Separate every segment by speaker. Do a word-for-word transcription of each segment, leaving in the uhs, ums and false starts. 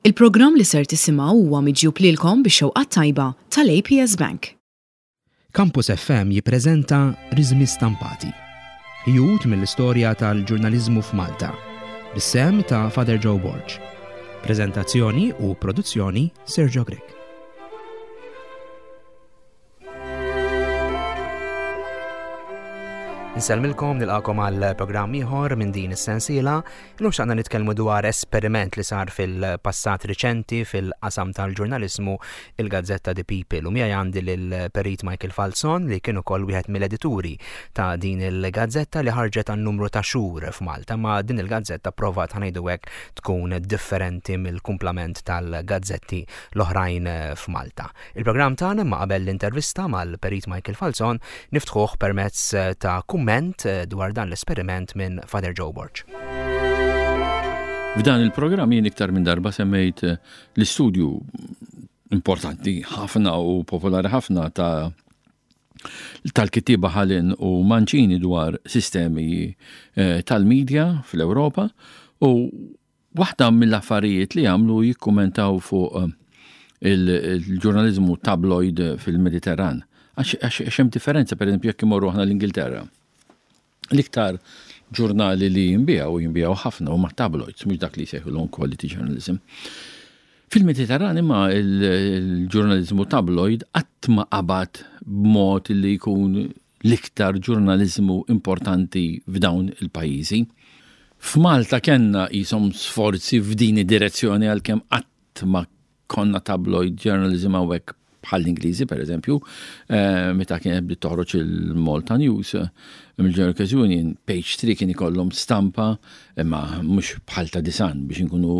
Speaker 1: Il-programm li ser tisimgħu huwa miġjub lilkom bix-xewqa tajba tal-A P S Bank.
Speaker 2: Campus F M jippreżenta Riżmi Stampati. Ħjut mill-istorja tal-ġurnaliżmu f'Malta. Bis-sehem ta' Father Joe Borg. Prezentazzjoni u produzzjoni, Sergio Grech. Insellmilkom, nilqagħkom għal programm ieħor minn din is-sensiela. Illum xtaqna nitkellmu dwar esperiment li sar fil-passat riċenti fil-qasam tal-ġurnaliżmu, il-gazzetta The People. U miegħi għandi lill-Perit Michael Falzon, li kien ukoll wieħed mill-edituri ta' din il-gazzetta li ħarġet għan numru ta' xhur f'Malta. Ma din il-gazzetta provat, ħa ngħidu hekk, tkun differenti mill-kumplament tal-gazzetti l-oħrajn f'Malta. Il-programm tagħna, ma qabel l-intervista mal-Perit Michael Falzon, niftħuh permezz ta' kumment eh, dwar dan l-esperiment minn Father Joe Borg.
Speaker 3: F'dan il-programm jien iktar minn darba semmejt eh, l-istudju importanti ħafna u popolari ħafna ta' tal-kittieba Hallin u Mancini dwar sistemi eh, tal-medja fl-Ewropa, u waħda mill-affarijiet li għamlu jikkumentaw fuq il-ġurnalizmu tabloid fil-Mediterran. Għax hemm differenza, per eżempju, jekk imorru aħna l-Ingilterra. L-iktar ġurnali li jinbiegħu u jinbiegħu ħafna huma tabloids, mhux dak li jsejħulhom quality journalism. Fil-Mediterran imma il-ġurnalizmu tabloid qatt ma qabad b'mod li jkun l-iktar ġurnalizmu importanti f'dawn il-pajjiżi. F'Malta kellna jisom sforzi f'din id-direzzjoni, għalkemm qatt ma konna tabloid journalism hawnhekk bħal l-Ingliżi, per eżempju, eh, meta kienet bdiet toħroġ il-Malta News, eh, mill-Journalist Union, page three kien ikollhom stampa, imma mhux bħal ta' The Sun, biex inkunu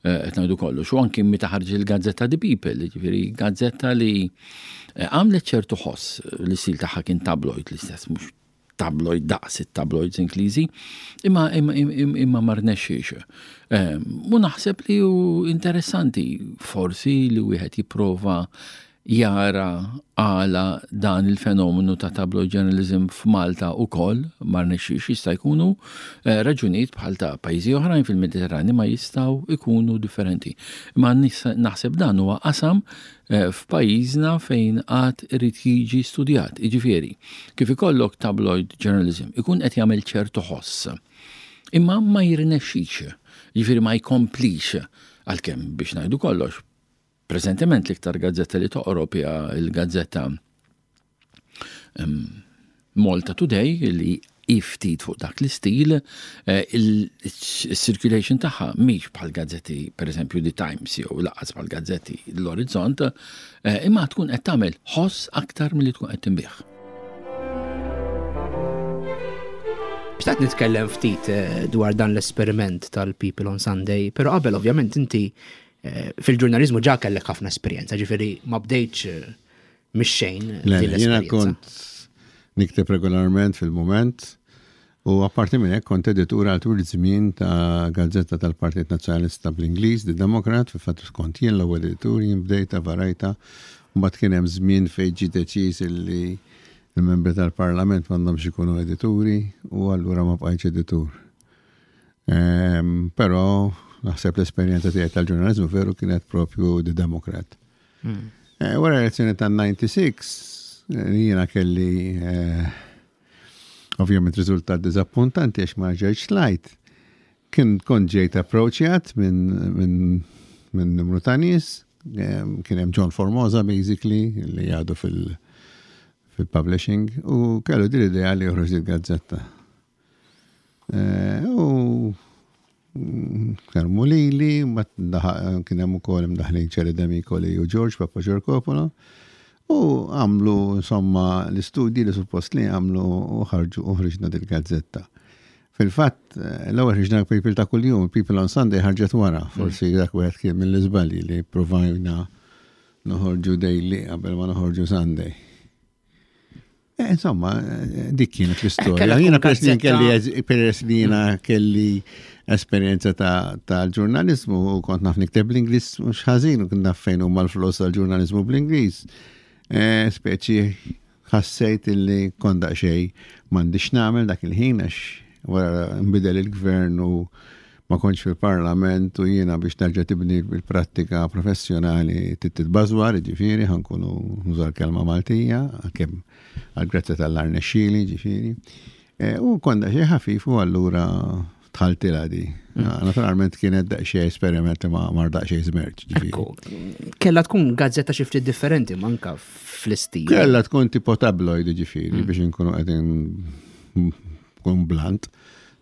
Speaker 3: eh, qed ngħidu kollox. U anki meta ħarġ il-gazzetta The People, ġifieri gazzetta li għamlet ċertu ħoss, l-istil tagħha kien tabloid l-istess, mhux tabloid daqs it-tabloids Ingliżi, imma imma imma ma rnexxiex. U naħseb li hu interessanti forsi li wieħed jipprova jara għala dan il-fenomenu ta' tabloid journalism f'Malta ukoll ma rnexxiex. Jista' jkunu eh, raġunijiet bħal ta' pajjiżi oħrajn fil-Mediterrani, ma jistgħu ikunu differenti. Ma naħseb dan huwa qasam eh, f'pajjiżna fejn għad irid jiġi studjat. Jiġifieri, kif ikollok tabloid journalism ikun qed jagħmel ċertu ħoss. Imma ma jirnexxix, jiġifieri ma jkomplix, għalkemm, biex ngħidu kollox, preżentement l-iktar gazzetta li toqrob hija il-gazzetta Malta Today, li ftit fuq dak l-istil, eh, il-circulation tagħha mhix bħal gazzetti, per eżempju, The Times jew lanqas bħal gazzetti l-Orizzont, eh, imma tkun qed tagħmel ħoss aktar milli tkun qed tinbiegħ.
Speaker 2: Xtaqt nitkellem ftit eh, dwar dan l-esperiment tal-People on Sunday, pero qabel, ovvjament, inti Eh, fil-ġurnalizmu ġa kellek ħafna esperjenza, ġifieri ma bdejtx eh, mix-xejn.
Speaker 4: Jiena kont nikteb regolarment fil-Mument u apparti minn hekk kont editur għal tul żmien ta' gazzetta tal-Partit Nazzjonalista bl-Ingliż, The Democrat. Fil-fatt kont jien l-ewwel editur, jien bdejta varajta, mbagħad kien hemm żmien fejn ġie deċiż li il-membri tal-Parlament m'għandhomx ikunu edituri u allura ma bqajtx editur. Ehm, però naħseb l-esperjenza tiegħi tal-ġurnalizmu veru kienet propju The Democrat. Hmm. Eh, wara l-elezzjoni tan-disgħa u disgħin, eh, jiena kelli eh, ovvjament riżultat diżappuntanti għax ma ġejtx tlajt. Kien kont ġejt approachjat minn min, min numru ta' nies, kien hemm John Formosa basically li għadu fil- fil-publishing u kellu din l-idea li joħroġ il-gazzetta. U kellmu lili, kien hemm ukoll imdaħlin Ċeri Demicoli u George Pappageorgopoulos u għamlu insomma l-istudji li suppost li għamlu u ħarġu u ħriġna dil-gazzetta. Fil-fatt, l-ewwel ħriġna People ta' kuljum, People on Sunday ħarġet wara, forsi dak wieħed kien mill-iżbalji li provajna noħorġu daily qabel ma noħorġu Sunday. Eh, insomma, eh, dik kienet l-istorja. Jiena peress li kelli peress li jiena kelli esperjenza ta' ġurnalizmu u kont naf nikteb bl-Ingliż mhux ħażin u kont naf fejn huma l-flus tal-ġurnalizmu bl-Ingliż. Eh, speċi ħassejt illi kont daqsxejn m'għandix nagħmel dak il-ħin, għax wara nbidel il-gvern u Ma kontx fil-parlament u jiena biex terġa' tibni il-prattika professjonali titbażwar, ġifieri, ħa nkunu nuża l-kelma Maltija, għalkemm għal-grazzja tal-arnexxili, ġifieri. E, u konda xi ħafif u allura dħaltilha di. Mm. Naturalment kienet daqsxejn esperiment ma mar daqsxejn żmerċ.
Speaker 2: Kella tkun gazzetta xi ftit differenti manka fl-istil.
Speaker 4: Kella tkun tipo tabloid, ġifieri, mm. biex nkunu qegħdin kun blunt,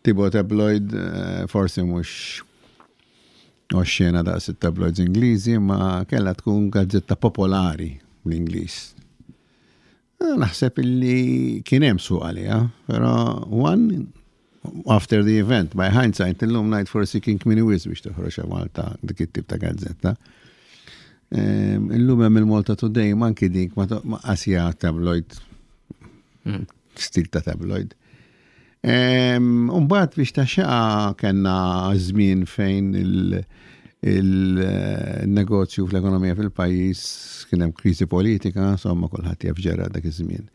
Speaker 4: tipo tabloid, eh, forsi mhux oxxena daqs it-tabloids Ingliżi, ma kella tkun gazzetta popolari bl-Ingliż. Eh, naħseb illi kien hemm suq għaliha, però one after the event, by hindsight, illum ngħid forsi kien kmieni wisq biex toħroġ Malta dik it-tip ta' gazzetta. Illum hemm il-Malta Today, manki dik ma qasja tabloid, mm. stil ta' tabloid. Umbagħad biex ta' xaqa kellna żmien fejn il-negozju fl-ekonomija fil-pajjiż kien hemm kriżi politika, insomma, kulħadd jaf ġara dak iż-żmien.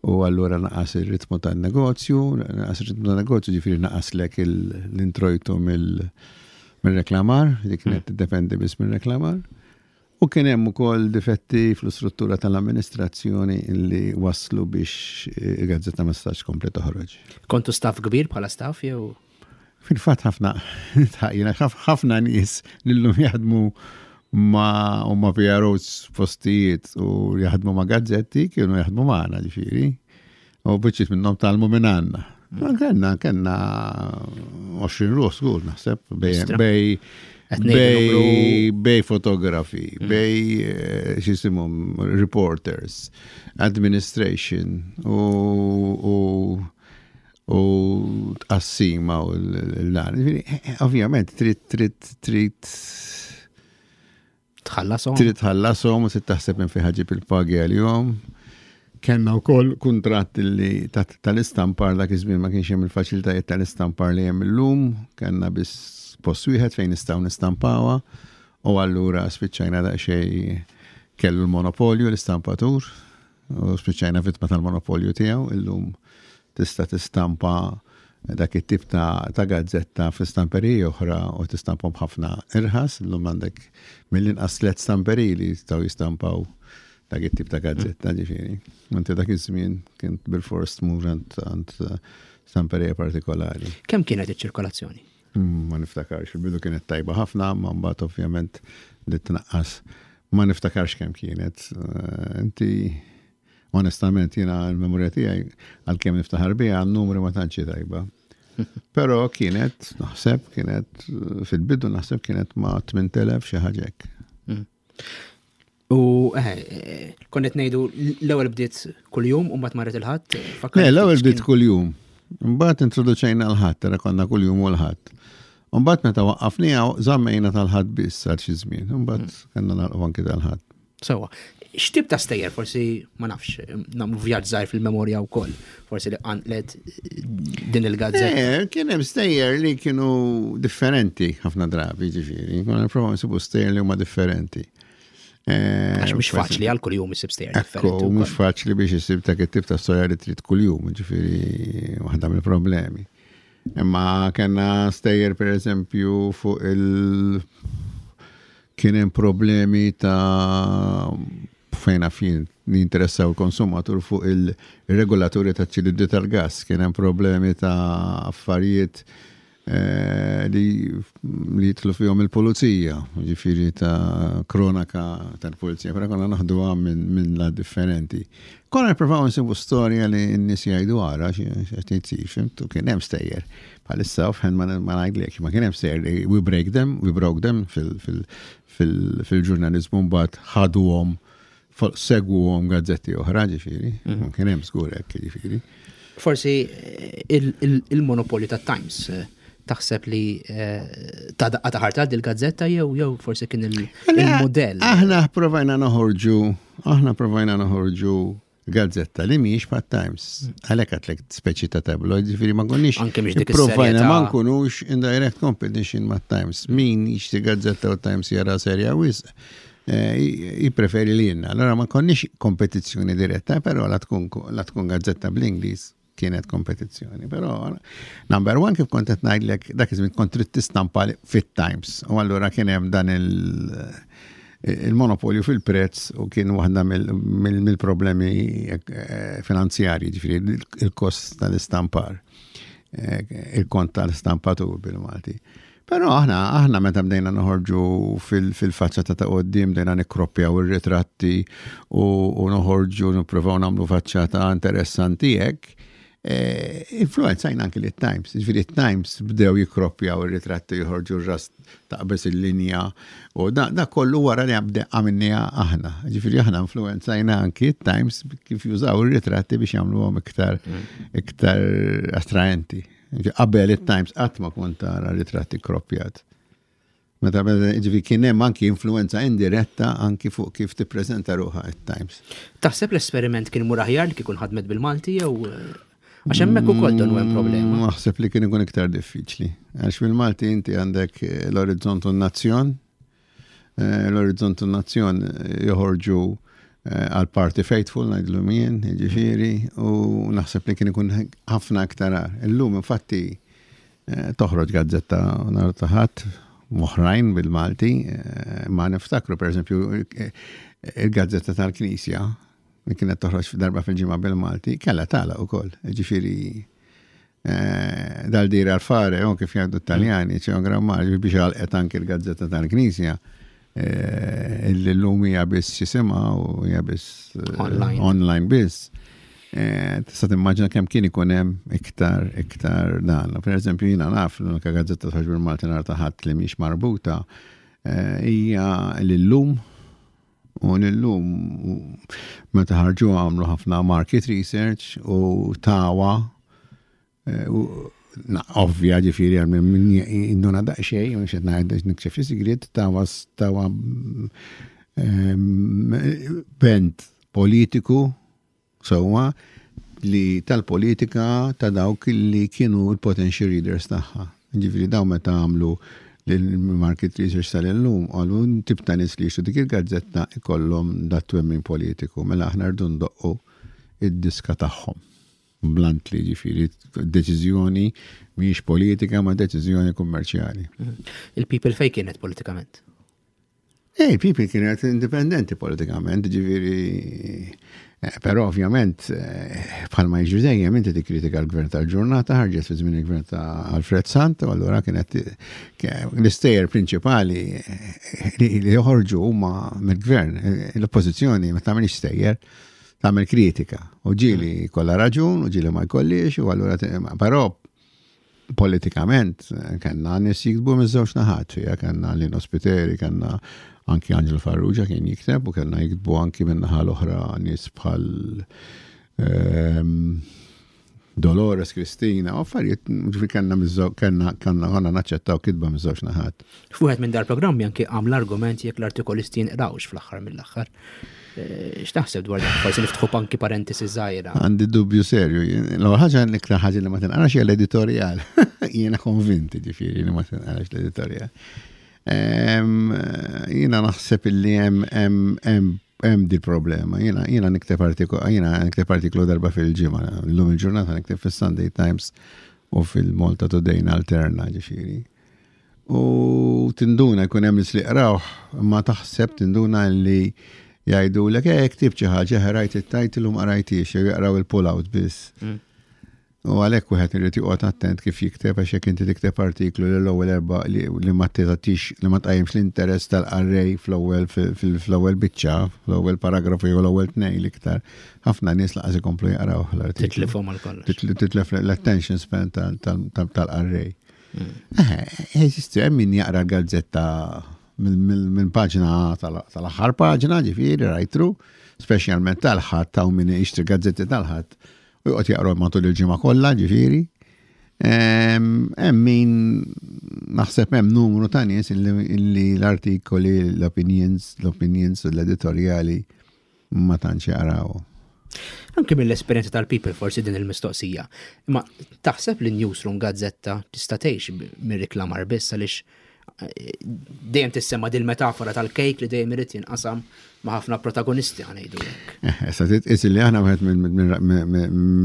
Speaker 4: U allura naqas ir-ritmu tan-negozju, naqas ir-ritmu tan-negozju, ġifieri naqaslek l-introjtu mill-reklamar, li kienet tiddependi biss mill-reklamar. U kien hemm ukoll difetti fl-istruttura tal-amministrazzjoni li waslu biex il-gazzetta ma stax komplet toħroġ.
Speaker 2: Kontu staff kbir bħala staff jew?
Speaker 4: Fil-fatt ħafna, ħafna nies li llum jaħdmu ma' u ma' P R Os postijiet u jaħdmu ma' gazzetti kienu jaħdmu magħna, ġifieri. U biċċiet minnhom tgħallmu minn għandna. Ma kellna kellna għoxrin ruħ żgur, naħseb, bej bej bej fotografi, mm. bej eh, x'jisimhom reporters, administration u u u tqassima u l-dan. Ovvjament, trid trid trid
Speaker 2: Tħallasom.
Speaker 4: Trid tħallasom u trid taħseb minn fejn ħa ġġib il-pagi għalihom. Kellna wkoll kuntratt li tal-istampar, dak iż-żmien ma kienx hemm il-faċilitajiet tal-istampar li hemm illum, kellna biss post wieħed fejn nistgħu nistampawha u allura spiċċajna daqsxejn kellu l-monopolju l-istampatur u spiċċajna vittma tal-monopolju tiegħu. Illum tista' tistampa dak it-tip ta', ta gazzetta fi stamperiji oħra u tistamphom ħafna irħas. Illum għandek mill-inqas tliet stamperiji li jistgħu jistampaw dak it-tip ta' gazzetta, ġifieri. Inti dak iż-żmien kien bil-fors tmur għand stamperija partikolari.
Speaker 2: Kemm kienet iċ-ċirkolazzjoni?
Speaker 4: Mm, ma niftakarx, il-bidu kienet tajba ħafna, ma mbagħad ovvjament li tnaqqas. Ma niftakarx kemm kienet. Eh, inti onestament jiena l-memorja tiegħi, għalkemm niftaħar biha, n-numri ma tantx tajba. Però kienet, naħseb, kienet fil-bidu naħseb kienet ma' tmint elef, xi ħaġa hekk.
Speaker 2: Mm. U eh, konnet ngħidu l-ewwel bdiet kuljum u mbagħad marret il-Ħadd.
Speaker 4: Le, l-ewwel bdiet kuljum. Mbagħad introduċejna l-Ħadd, tara konna kuljum u l-Ħadd. Mbagħad meta waqqafniha żammejna tal-Ħadd biss għal xi żmien. Mbagħad mm. kellna nagħlqu anki tal-Ħadd.
Speaker 2: Sewa. X'tip ta' stejjer, forsi, ma nafx, nagħmlu vjaġġ żgħir fil-memorja wkoll, forsi li qanqlet din il-gazzetta?
Speaker 4: Eh, kien hemm stejjer li kienu differenti ħafna drabi, ġifieri. Konna nipprovaw nsibu stejjer li huma differenti.
Speaker 2: Eh, Għax mhux faċli għal kuljum issib stejjer
Speaker 4: differenti. Mhux faċli biex issib dak it-tip ta' storja li trid kuljum, ġifieri waħda mill-problemi. Imma kellna stejjer, per eżempju, fuq il- kien hemm problemi ta' fejn fin li interessaw il-konsumatur fuq il-regolaturi ta' ċilindri tal-gas, kien hemm problemi ta' affarijiet eh, li li jidħlu fihom il-pulizija, ġifieri ta' kronaka tal-pulizija, però konna naħduha minn min la differenti. Konna nippruvaw nsibu storja li n-nies jgħidu ara x'qed jsir, fhimt, u kien hemm stejjer. Bħalissa offhand ma ngħidlek, ma kien hemm stejjer li we break them, we broke them fil-ġurnalizmu, mbagħad ħaduhom, segwuhom gazzetti oħra, ġifieri, mhm. kien hemm żgur hekk, ġifieri.
Speaker 2: Forsi eh, il-monopolju ta' Times eh, taħseb li eh, ta' daqqa ta' ħarta dil-gazzetta jew jew forsi kien il-modell?
Speaker 4: Aħna provajna noħorġu, aħna provajna noħorġu gazzetta li mhijiex bħat Times. Għalhekk għedtlek speċi ta' tabloid, ġifieri ma konniex.
Speaker 2: Anke mhix dik
Speaker 4: Provajna ma nkunux in direct competition ma' Times. Min jixtri gazzetta u Times jara serja wisq, Eh, jipreferi li jenna. Allora ma konniex kompetizzjoni diretta, però la tkun la tkun gazzetta bl-Ingliż. Kienet kompetizzjoni. Però number one, kif kont qed ngħidlek, dak iż-żmien kont trid tistampa fit-Times. U allura kien hemm dan il- il-monopolju fil-prezz u kien waħda mill-problemi eh, finanzjarji, ġifieri il-kost tal-istampar, eh, il-kont tal-istampatur bil-Malti. Però aħna aħna meta bdejna noħorġu fil-faċċata ta' quddiem, bdejna nikkroppjaw ir-ritratti u noħorġu nippruvaw nagħmlu faċċata interessanti hekk, eh, influenzajna anki li Times. Ġifieri Times bdew jikkroppjaw ir-ritratti, joħorġu r-ras taqbeż il-linja u da, da kollu wara li għabde għamilniha aħna. Ġifieri aħna influenzajna anki Times kif jużaw ir-ritratti biex jagħmluhom iktar iktar attraenti. Qabel it-Times qatt ma kont tara ritratti kroppjat. Meta ġifieri kien hemm anki influenza indiretta anki fuq kif tippreżenta ruħha it-Times.
Speaker 2: Taħseb l-esperiment kien imur aħjar li kieku ħadmet bil-Malti jew għax hemmhekk ukoll donnu hemm problema?
Speaker 4: Naħseb li kien ikun iktar diffiċli. Għax bil-Malti inti għandek l-Orizzont u n-Nazzjon. Eh, L-Orizzont u n-Nazzjon joħorġu eh, għal party faithful ngħidlu jien, ġifieri, u naħseb li kien ikun ħafna aktar agħar. Illum infatti eh, toħroġ gazzetta nhar ta' Ħadd oħrajn bil-Malti, eh, ma niftakru per eżempju il-gazzetta tal-Knisja li kienet toħroġ darba fil-ġimgħa bil-Malti, kellha tagħlaq ukoll. Ġifieri dal dire al fare, o kif jgħidu Taljani, c'è un gran male, biex għalqet anki l-gazzetta tal-Knisja, illi l-lum hija biss jisimha u hija biss
Speaker 2: Online.
Speaker 4: online biss. Tista' timmaġina kemm kien ikun hemm iktar iktar dan. Per eżempju, jiena naf l-unika gazzetta toħroġ bil-Malti nhar ta' Ħadd li mhix marbuta hija l-Illum, u l-Illum meta ħarġu għamlu ħafna market research u tawa na, ovvja, ġifieri għal min induna daqsxejn, mhux qed ngħid nikxef xi sigriet, tawa tawa bent politiku sewwa li tal-politika ta' dawk li kienu l-potential readers tagħha. Ġifieri daw meta għamlu l-market research tal-Illum, qalu tip ta' nies li jixtru dik il-gazzetta ikollhom dat twemmin politiku, mela aħna rridu ndoqqu id-diska tagħhom. Bluntly, ġifieri, deċiżjoni mhijiex politika ma deċiżjoni kummerċjali.
Speaker 2: Il-People fej kienet politikament?
Speaker 4: Ej, People kienet indipendenti politikament, ġifieri, eh, però ovvjament, eh, bħalma jiġri dejjem, inti tikkritika l-gvern tal-ġurnata, ħarġet fi żmien il-gvern ta' Alfred Sant, u allura kienet l-istejjer prinċipali eh, li li joħorġu huma mill-gvern, l-oppożizzjoni ma tagħmilx stejjer, tagħmel kritika. U ġieli kollha raġun, u ġieli ma jkollix, u allura però politikament kellna nies jiktbu miż-żewġ naħat, fija kellna Lino Spiteri, kellna anki Angelo Farrugia kien jikteb, u kellna jiktbu anki minn naħa l-oħra nies bħal ehm, Dolores Cristina, u affarijiet, ġifieri kellna miż-żewġ, kellna kellna konna naċċettaw kitba miż-żewġ naħat.
Speaker 2: F'wieħed minn dal-programmi anki għam l-argument jekk l-artikolisti jinqrawx fl-aħħar mill-aħħar. Eh, x'taħseb dwar dak? Forsi niftħu anki parentesi żgħira.
Speaker 4: Għandi dubju serju. L-ewwel ħaġa, l-iktar ħaġa li ma tinqarax hija l-editorjal. Jiena konvinti ġifieri li ma tinqarax l-editorjal. Em, Jiena naħseb illi hemm hemm hemm hemm di problema. Jiena jiena nikteb artiklu, jiena nikteb artiklu darba fil-ġimgħa. Illum il-ġurnata nikteb fis-Sunday Times u fil-Malta Today alterna, ġifieri. U tinduna jkun hemm nies li qrawh, ma taħseb tinduna li jgħidulek, eh, ktib xi ħaġa, rajt it-title u ma qrajtix, jew jaqraw il-pull-out biss.
Speaker 2: Mm.
Speaker 4: U għalhekk wieħed irid joqgħod attent kif jikteb, għax jekk inti tikteb artiklu li l-ewwel erba' li, li ma tagħtix, li ma tqajjimx l-interess tal-qarrej fl-ewwel fil-ewwel biċċa, fl-ewwel paragrafu jew l-ewwel tnejn l-iktar, ħafna nies laqas ikomplu jaqraw l-artiklu.
Speaker 2: Titlifhom għal kollox.
Speaker 4: Titl- Titlef l-attention span tal- tal- tal- tal-qarrej.
Speaker 2: Mm.
Speaker 4: Eh, Eżisti, hemm min jaqra l-gazzetta minn paġna tal-aħħar paġna, ġifieri right through, speċjalment tal-Ħadd, ta' min jixtri gazzetti tal-Ħadd u joqgħod jaqra matul il-ġimgħa kollha, ġifieri. Hemm min naħseb hemm numru ta' nies illi l-artikoli, l-opinions, l-opinions u l-editorjali ma tantx jaqraw.
Speaker 2: Anke mill-esperjenza tal-People forsi din il-mistoqsija. Imma taħseb li newsroom gazzetta tista' tgħix mir-reklamar biss, għaliex Dejjem tissemma dil-metafora tal-kejk li dejjem irid jinqasam ma' ħafna protagonisti, ħa ngħidu hekk.
Speaker 4: Issa titqis li aħna wieħed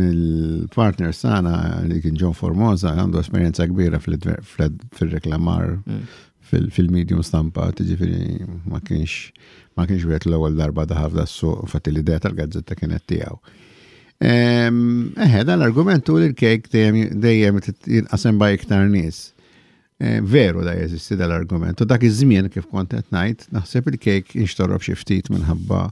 Speaker 4: mill-partners tagħna, li kien John Formosa, għandu esperjenza kbira fil-reklamar mm. fil-medium stampa, ġifieri ma kienx ma kienx wieħed l-ewwel darba daħal f'das-suq, infatti l-idea tal-gazzetta kienet tiegħu. Eħe, dan l-argument li l-kejk dejjem jinqasem bejn iktar nies. Veru da jeżisti dal-argument. U dak iż-żmien, kif kont qed ngħid, naħseb il-kejk inxtorob xi ftit minħabba,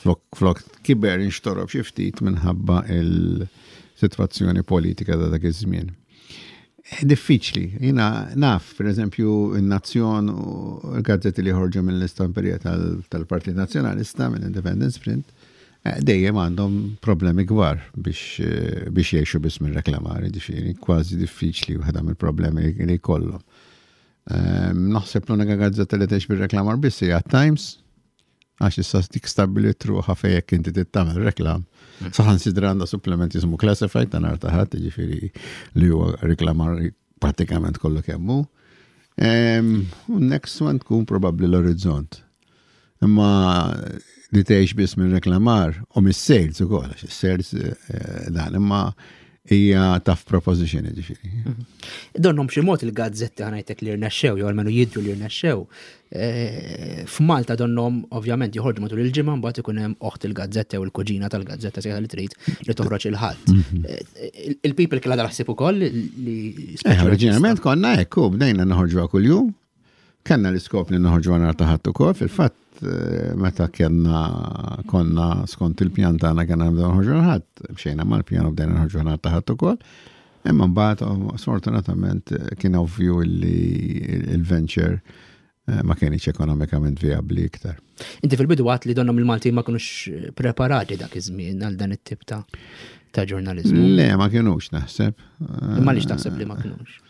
Speaker 4: flok, flok kiber, inxtorob xi ftit minħabba il-sitwazzjoni politika ta' dak iż-żmien. Diffiċli, jiena naf, per eżempju, in-Nazzjon u l-gazzetti li ħorġu mill-istamperija tal-Partit Nazzjonalista, mill-Independence Print, eh, dejjem għandhom problemi kbar biex eh, biex jgħixu biss minn reklamar, ġifieri kważi diffiċli, waħda mill-problemi li jkollhom. Ehm, naħseb l-unika gazzetta li tgħix bil-reklamar biss hija Times, għax issa dik stabbilit ruħha fejn jekk inti tagħmel reklam. Mm. Saħansitra għandha supplement jismu Classified ta' nhar ta' Ħadd, ġifieri li huwa reklamar pratikament kollu kemm hu. Ehm, u next one tkun probabbli l-Orizzont. Imma li tgħix biss minn reklamar u mis-sales ukoll, għax is-sales eh, dan, imma hija tough proposition, ġifieri.
Speaker 2: Mhm. Donnhom b'xi mod il-gazzetti, ħa ngħidlek, li rnexxew, jew almenu jidhru li rnexxew. Eh, F'Malta donnhom ovvjament joħorġu matul il-ġimgħa, mbagħad ikun hemm oħt il-gazzetta u l-kuġina tal-gazzetta sejħa li trid li toħroġ il-Ħadd. Mhm. Eh, Il-People kellha dal-ħsieb ukoll li
Speaker 4: Eh, oriġinarjament konna hekk, bdejna noħorġu kuljum. Kellna l-iskop li noħorġu nhar ta' Ħadd ukoll, fil-fatt eh, meta kellna konna skont il-pjan tagħna kellna nibdew noħorġu l-Ħadd, mxejna mal-pjan u bdejna noħorġu nhar ta' Ħadd ukoll. Imma mbagħad oh, sfortunatament kien ovvju li il-venture eh, ma kienx ekonomikament viabli iktar.
Speaker 2: Inti fil-bidu għedt li donnhom il-Malti ma kinux preparati dak iż-żmien għal dan it-tip ta' ta' ġurnalizmu.
Speaker 4: Le, ma kienux, naħseb.
Speaker 2: Imma għaliex taħseb li ma kinux?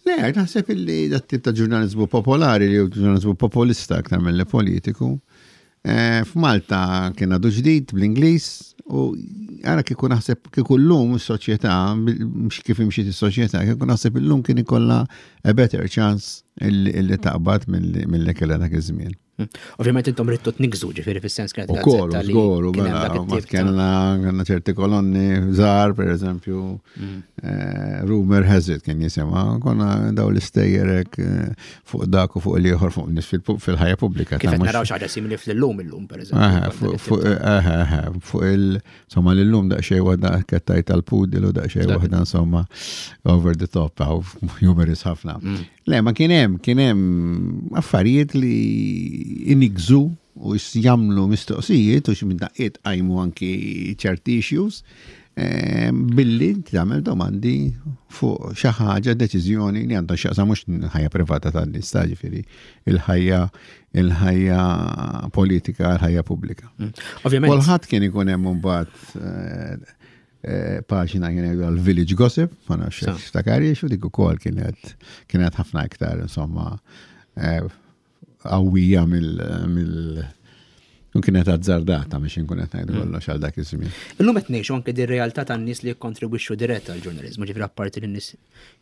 Speaker 4: Le, naħseb illi dat tip ta' ġurnalizmu popolari, li hu ġurnalizmu populista aktar mill politiku. Eh, F'Malta kien għadu ġdid bl-Ingliż u għara kieku naħseb kieku llum is-soċjetà, mhux kif imxiet is-soċjetà, kieku naħseb illum kien ikollha a better chance illi taqbad milli kellha dak iż-żmien.
Speaker 2: Hmm. Ovvjament intom ridtu tniggżu, ġifieri fis-sens kienet
Speaker 4: U kol, żgur, u mela, kellna kellna ċerti kolonni żgħar, per eżempju, mm. eh, Rumor Has It kien jisimha, konna daw l-istejjer eh, fuq dak u fuq l-ieħor, fuq nies fil-ħajja pubblika.
Speaker 2: Kif naraw xi ħaġa simili fl-Illum illum, per eżempju.
Speaker 4: Fuq il, insomma, l-Illum daqsxejn waħda kettaj tal-pudil u daqsxejn waħda, insomma, over the top, humorous ħafna. Mm. Le, ma kien hemm kien hemm affarijiet li iniggżu u jagħmlu mistoqsijiet u xi minn daqqiet qajmu anki ċerti issues eh, billi tagħmel domandi fuq xi ħaġa, deċiżjoni li għandha x'jaqsam mhux ħajja privata tan-nies, ta' ġifieri il-ħajja il-ħajja politika, il-ħajja pubblika.
Speaker 2: Mm. Ovvjament.
Speaker 4: Kulħadd kien ikun hemm mbagħad eh, eh, paġna kien jgħidu għal-Village Gossip, ma nafx tiftakarhiex, u dik ukoll kienet kienet ħafna iktar, insomma, qawwija mill mill u kienet azzardata biex inkun qed ngħidu mm. kollox għal dak iż-żmien.
Speaker 2: Illum qed ngħixu anke di realtà tan-nies li jikkontribwixxu dirett għall-ġurnaliżmu, ġifieri apparti li n-nies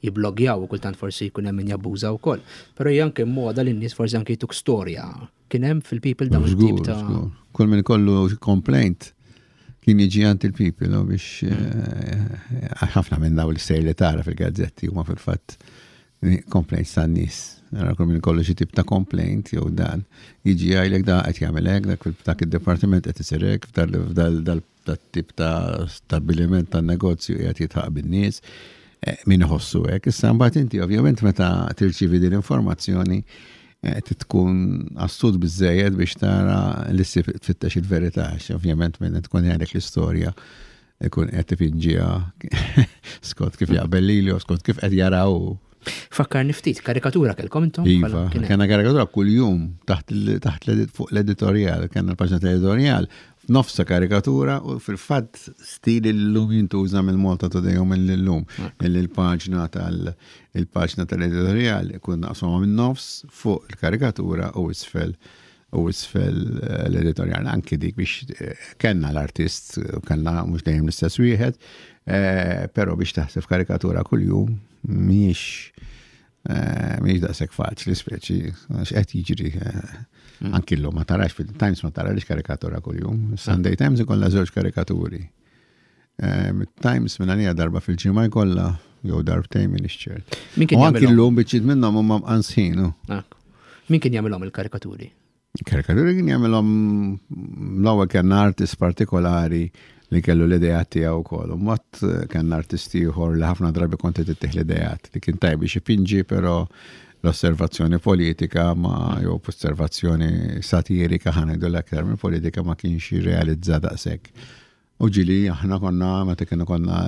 Speaker 2: jibblogjaw u kultant forsi jkun hemm min jabbuża wkoll. Però hija anke moda li n-nies forsi anke jtuk storja. Kien hemm fil-People dawn it-tip ta'
Speaker 4: Kull min kollu complaint kien jiġi għand il-People biex eh, ħafna minn daw l-istejjer li tara fil-gazzetti huma fil-fatt complaints tan nies. Nara kull min kollu xi tip ta' complaint jew dan jiġi jgħidlek da qed jagħmel hekk, dak dak id-dipartiment qed isir hekk, f'dal tip ta' stabbiliment tan negozju qiegħed jidħaq bin-nies. Eh, min iħossu hekk. Issa mbagħad inti ovvjament meta tirċievi din l-informazzjoni eh, tkun astut biżejjed biex tara li tfittex il-verità, ovvjament minn tkun jgħidlek l-istorja ikun qed tipinġiha skont kif jaqbel lilu, skont kif qed jaraw.
Speaker 2: Fakkarni ftit, karikatura kellkom intom?
Speaker 4: Iva, kellna karikatura kull-jum taħt fuq l-editorial, kellna l-paġna tal-editorial, f'nofsa karikatura u fil-fatt stil l-lum jintuża mill-Malta Today u mill-Illum, il-paġna tal- il-paġna tal-editorial ikun naqsuma minn nofs, fuq il-karikatura u isfel u isfel eh, l-editorial. Anki dik biex eh, kellna l-artist, kellna mhux dejjem l-istess wieħed, eh, però biex taħseb karikatura kuljum mhijiex Eh, mhix daqshekk faċli, speċi għax qed jiġri eh,
Speaker 2: Mm.
Speaker 4: anki llum ma tarax fil-Times ma tarax karikatura kuljum. Sunday Times ikollha żewġ karikaturi. Eh, Times minn għalija darba fil-ġimgħa jkollha jew darbtejn minn ċert.
Speaker 2: Min kien
Speaker 4: U anki
Speaker 2: jagħmilhom?
Speaker 4: llum biċċiet minnhom huma mqansħin.
Speaker 2: Ah. Min kien jagħmilhom il-karikaturi?
Speaker 4: Karikaturi kien jagħmilhom l-ewwel kien artist partikolari li kellu l-idejat tiegħu wkoll. U mbagħad kien artist ieħor li ħafna drabi kont ittih l-idejat li kien tajb biex ipinġi, però l-osservazzjoni politika ma jew osservazzjoni satirika, ħa ngħidu, l-aktar minn politika, ma kienx jirrealizza daqshekk. U ġieli aħna konna meta kienu konna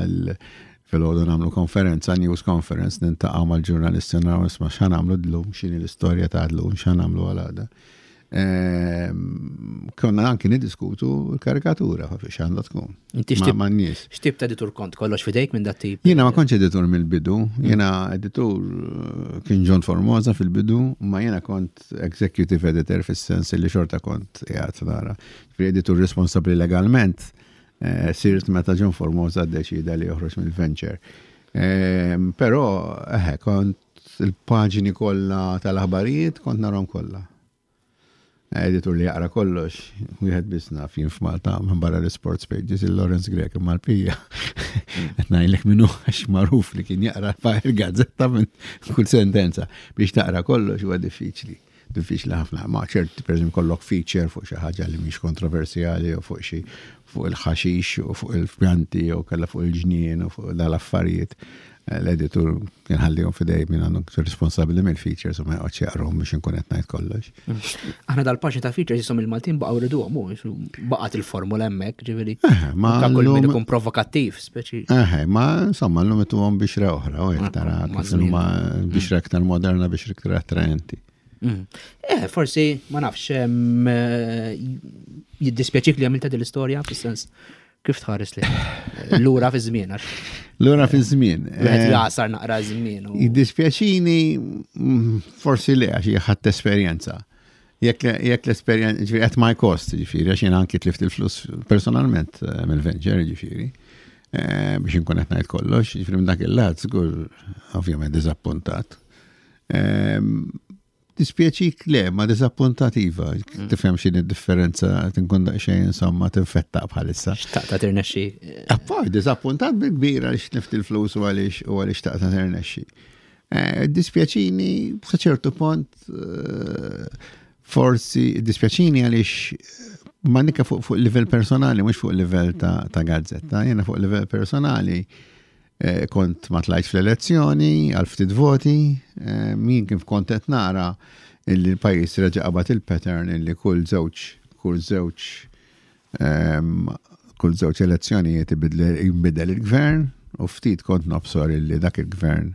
Speaker 4: filgħodu nagħmlu konferenza, news conference, niltaqgħu mal-ġurnalisti, naraw, isma', x'ħa nagħmlu llum, x'inhi l-istorja ta' llum, x'ħa nagħmlu għal għada. Ehm, konna anki niddiskutu l-karikatura, x'għandha tkun.
Speaker 2: Inti
Speaker 4: Ma'
Speaker 2: x'tip
Speaker 4: ma' nies.
Speaker 2: X'tip ta' editur kont? Kollox fidejk minn dat tip?
Speaker 4: Jiena ma kontx editur mill-bidu, jiena editur eh, kien John Formosa fil-bidu, ma jiena kont executive editor fis-sens li xorta kont qiegħed nara. Fi editur responsabbli legalment, eh, sirt meta John Formosa ddeċida li joħroġ mill-venture. Ehm, Però, eh, kont il-paġni kollha tal-aħbarijiet kont narahom kollha. Editur li jaqra kollox, wieħed biss naf jien f'Malta minn barra l-sports pages, il-Lawrence Grech, imma l-pija. Qed ngħidlek minnu għax magħruf li kien jaqra il-gazzetta minn kull sentenza. Biex taqra kollox huwa diffiċli. Diffiċli ħafna. Ma ċert, per eżempju, kollok feature fuq xi ħaġa li mhix kontroversjali u fuq xi fuq il-ħaxix u fuq il-pjanti u kella fuq il-ġnien u fuq dal-affarijiet. L-editur kien ħallihom f'idejh min għandu responsabbli mill-features u ma joqgħodx jaqrahom biex inkun qed ngħid kollox.
Speaker 2: Aħna dal-paġni ta' features jisom il-Maltin baqgħu riduhom, u baqgħet il-formula hemmhekk, ġifieri.
Speaker 4: Eh, ma
Speaker 2: Ta' kull min
Speaker 4: llum-
Speaker 2: ikun provokattiv, speċi.
Speaker 4: Eħe, ma insomma l-lum ituhom bixra oħra, u jek tara
Speaker 2: Ma'
Speaker 4: kif
Speaker 2: żmien.
Speaker 4: huma bixra iktar moderna, bixra iktar attraenti.
Speaker 2: Mm. Eh, forsi, ma nafx, em, eh, jiddispjaċik li għamilta din l-istorja, fis-sens, kif tħares li lura fi żmien, għax
Speaker 4: Lura fi żmien.
Speaker 2: wieħed
Speaker 4: eh,
Speaker 2: jagħsar naqra żmien. u-
Speaker 4: Jiddispjaċini mm, forsi le, għax ħadt esperjenza. Jekk jekk l-esperjenza, ġifieri at my cost, ġifieri, għax jiena anki tlift il-flus personalment eh, mill-venture, ġifieri, eh, biex inkun qed ngħid kollox, ġifieri minn dak il-lat żgur ovvjament diżappuntat. Ehm, Dispjaċik le, ma diżappuntat iva, tifhem x'inhi d-differenza, tinkun daqsxejn insomma tinfettaq bħalissa.
Speaker 2: Xtaqta tirnexxi.
Speaker 4: Appoj, diżappuntat bil-kbir għaliex tlift il-flus u għaliex u għaliex xtaqta tirnexxi. Eh, Dispjaċini, sa ċertu punt, eh, forsi dispjaċini għaliex ma nika fuq fuq livell personali, mhux fuq livell ta', ta' gazzetta, jiena fuq livell personali eh, kont ma tlajtx fl-elezzjoni, għal ftit voti, eh, min kif kont qed nara illi l-pajjiż reġa' qabad il-pattern illi kull żewġ kull żewġ ehm, kull żewġ elezzjonijiet ibidle- jinbidel il-gvern u ftit kont nobsor illi dak il-gvern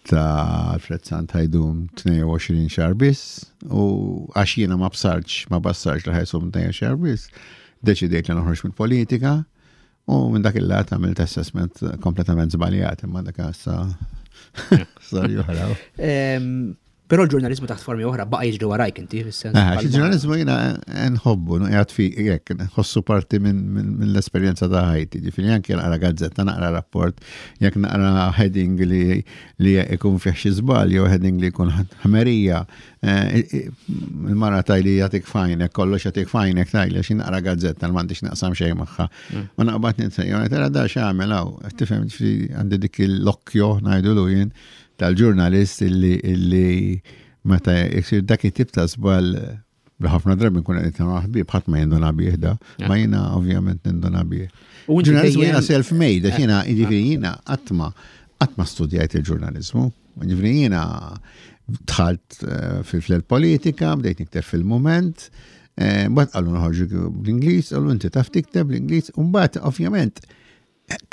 Speaker 4: ta' Alfred Sant ħa jdum tnejn u għoxrin xahar biss u għax jiena ma bsartx, ma bassarx li ħa jdum tnejn u għoxrin xahar biss, deċidejt li noħroġ mill-politika u minn dak il-lat għamilt assessment kompletament żbaljat, imma dak issa storja oħra.
Speaker 2: Em, Però l-ġurnalizmu taħt formi oħra baqa' jiġri warajk inti, fis-sens.
Speaker 4: Ah, il-ġurnalizmu jiena nħobbu, qiegħed fi, jekk, nħossu parti minn min, min l-esperjenza ta' ħajti. Ġifieri anke naqra gazzetta, naqra rapport, jekk naqra heading li li ikun fih xi żball jew heading li jkun ħmerija, eh, il-mara tgħidli jagħtik f'għajnek, kollox jagħtik f'għajnek tgħidli għax naqra gazzetta li m'għandix naqsam xejn magħha. U naqbad nitsejja, tara da x'għamel hawn, tifhem, ġifieri għandi dik l-occhio, ngħidulu jien, tal-ġurnalist illi illi meta jsir dak it-tip ta' żball li ħafna drabi nkun qed nitkellmu ħbieb, ħadd ma jinduna bih da, ma jiena ovvjament ninduna bih.
Speaker 2: U inti
Speaker 4: Ġurnalizmu
Speaker 2: dejjem-
Speaker 4: jiena self-made, għax jiena jiġifieri jiena qatt ma qatt ma studjajt il-ġurnalizmu. Jiġifieri jiena dħalt eh, fil-politika, bdejt nikteb fil-Mument, eh, mbagħad qalu noħorġu bl-Ingliż, qalu inti taf tikteb bl-Ingliż, u mbagħad ovvjament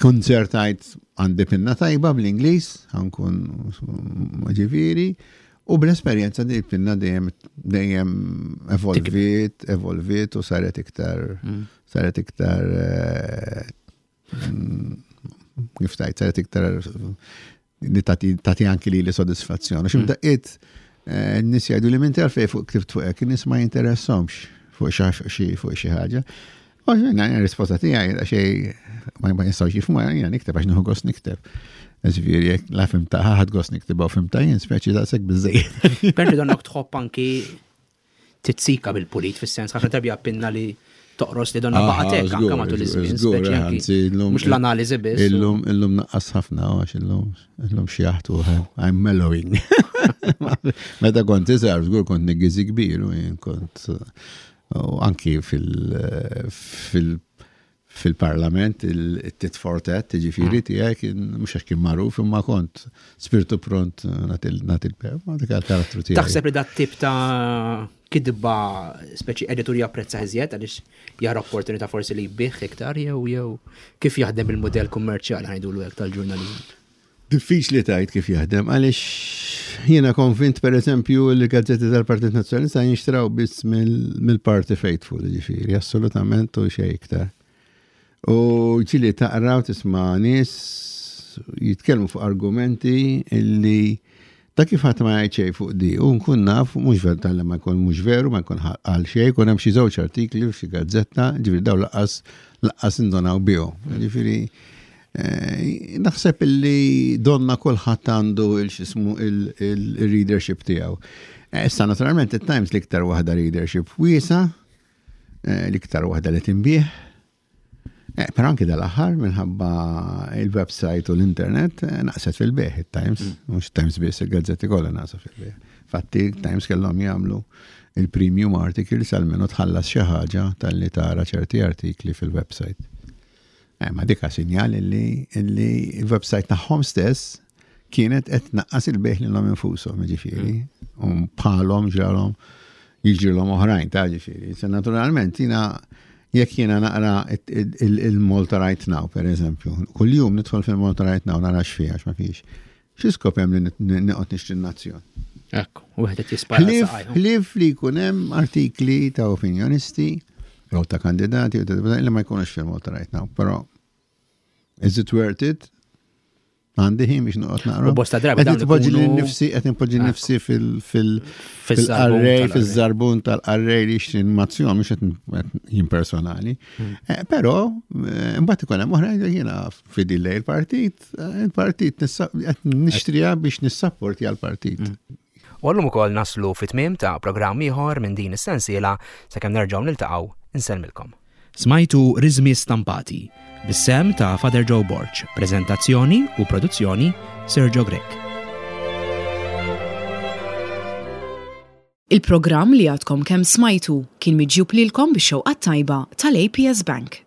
Speaker 4: konzertajt għandi pinna tajba bl-Ingliż, ħa nkun ġifieri, u bl-esperjenza di pinna dejjem dejjem evolvit, evolvit u saret iktar, saret iktar, eh, mm, kif tajt, saret iktar li tati tati anki li li soddisfazzjoni. Xi mdaqqiet n-nies jgħidu li minn għalfejn fuq ktibt fuq hekk, in-nies ma jinteressahomx fuq xi fuq xi ħaġa. U jiena risposta tiegħi xej ma ma jistgħux jifhmu, jiena nikteb għax nieħu gost nikteb. Ġifieri, jekk la fhimtha, ħadt gost niktibha u fhimtha jien, speċi daqshekk biżżejjed.
Speaker 2: Perti donnok tħobb anki tizzika bil-pulit, fis-sens ħafna drabi pinna li toqros li donna baqgħetek anke matul iż-żmien, speċi anki mhux l-analiżi biss.
Speaker 4: Illum illum naqqas ħafna għax illum illum xjaħt u I'm mellowing. Meta kont iżgħar żgur kont niggiżi kbir u jien kont u anki fil fil fil-parlament il-tit for tat, ġifieri tiegħi kien mhux għax kien magħruf imma kont spiritu pront nagħti l-per, ma dik karattru tiegħi.
Speaker 2: Taħseb li dat tip ta' kidba speċi editur japprezza iżjed għaliex jara opportunità forsi li jbigħ iktar jew jew kif jaħdem il-modell kummerċjali ngħidulu hekk tal-ġurnaliżmu?
Speaker 4: Diffiċli tgħid kif jaħdem għaliex jiena konvint per eżempju li gazzetti tal-Partit Nazzjonalista jinxtraw biss mill-Party Faithful, ġifieri, assolutament u xejn iktar. U ġieli taqra u tisma' nies jitkellmu fuq argumenti illi ta' kif ħadd ma jgħid xejn fuq di, u nkun naf mhux veru tal ma jkun mhux veru, ma jkun għal xejn, jkun hemm xi żewġ artikli f'xi gazzetta, ġifieri daw lanqas lanqas indonaw bihom. Ġifieri eh, naħseb illi donna kulħadd għandu il-xismu il-readership tiegħu. Eh, issa naturalment it-Times l-iktar waħda readership wiesa, eh, l-iktar waħda li tinbiegħ. Eh, però anki dal-aħħar minħabba il-website u l-internet eh, naqset fil-bejgħ il-Times, mhux Times biss, il-gazzetti kollha naqsu fil-bejgħ. Fatti, Times kellhom jagħmlu il-premium articles għalmenu tħallas xi ħaġa talli tara ċerti artikli fil-website. Eh, ma dika sinjal illi illi il-website tagħhom stess kienet qed tnaqqas il-bejgħ lilhom infushom, ġifieri, u bħalhom ġralhom jiġrilhom oħrajn ta' ġifieri. Se naturalment jiena jekk jiena naqra il-Malta Right Now, per eżempju, kull-jum nidħol fil-Malta Right Now nara x'fiha għax ma fix. Xi skop hemm li noqgħod nixtri n-Nazzjon?
Speaker 2: Ekku, wieħed qed jispara
Speaker 4: Ħlief
Speaker 2: saqajhom.
Speaker 4: ħlief li jkun hemm artikli ta' opinjonisti jew ta' kandidati u ta' li ma jkunux fil-Malta Right Now, però is it worth it? Għandi ħin biex noqgħod naqra.
Speaker 2: U bosta drabi
Speaker 4: Qed
Speaker 2: dawn
Speaker 4: nipoġġi
Speaker 2: ikunu-
Speaker 4: lil nifsi, qed nipoġġi
Speaker 2: Ekku.
Speaker 4: nifsi fil fil
Speaker 2: Fiż-żarbun
Speaker 4: fil-qarrej,
Speaker 2: tal-qarrej.
Speaker 4: fiż-żarbun tal-qarrej li jixtri n-Nazzjon, mhux qed jien personali. Eh, Però eh, mbagħad ikun hemm oħrajn li jiena fidil lejn il-partit, eh, il-partit nissa- qed nixtriha biex nissapporti għall-partit.
Speaker 2: U għallum ukoll naslu fit-tmiem ta' programm ieħor minn din is-sensiela sakemm nerġgħu niltaqgħu insellmilkom. Smajtu Rizmi Stampati, bis-sehem ta' Father Joe Borg, prezentazzjoni u produzzjoni Sergio Grech.
Speaker 1: Il-programm li għadkom kemm smajtu kien miġjub lilkom bix-xewqa tajba tal-A P S Bank.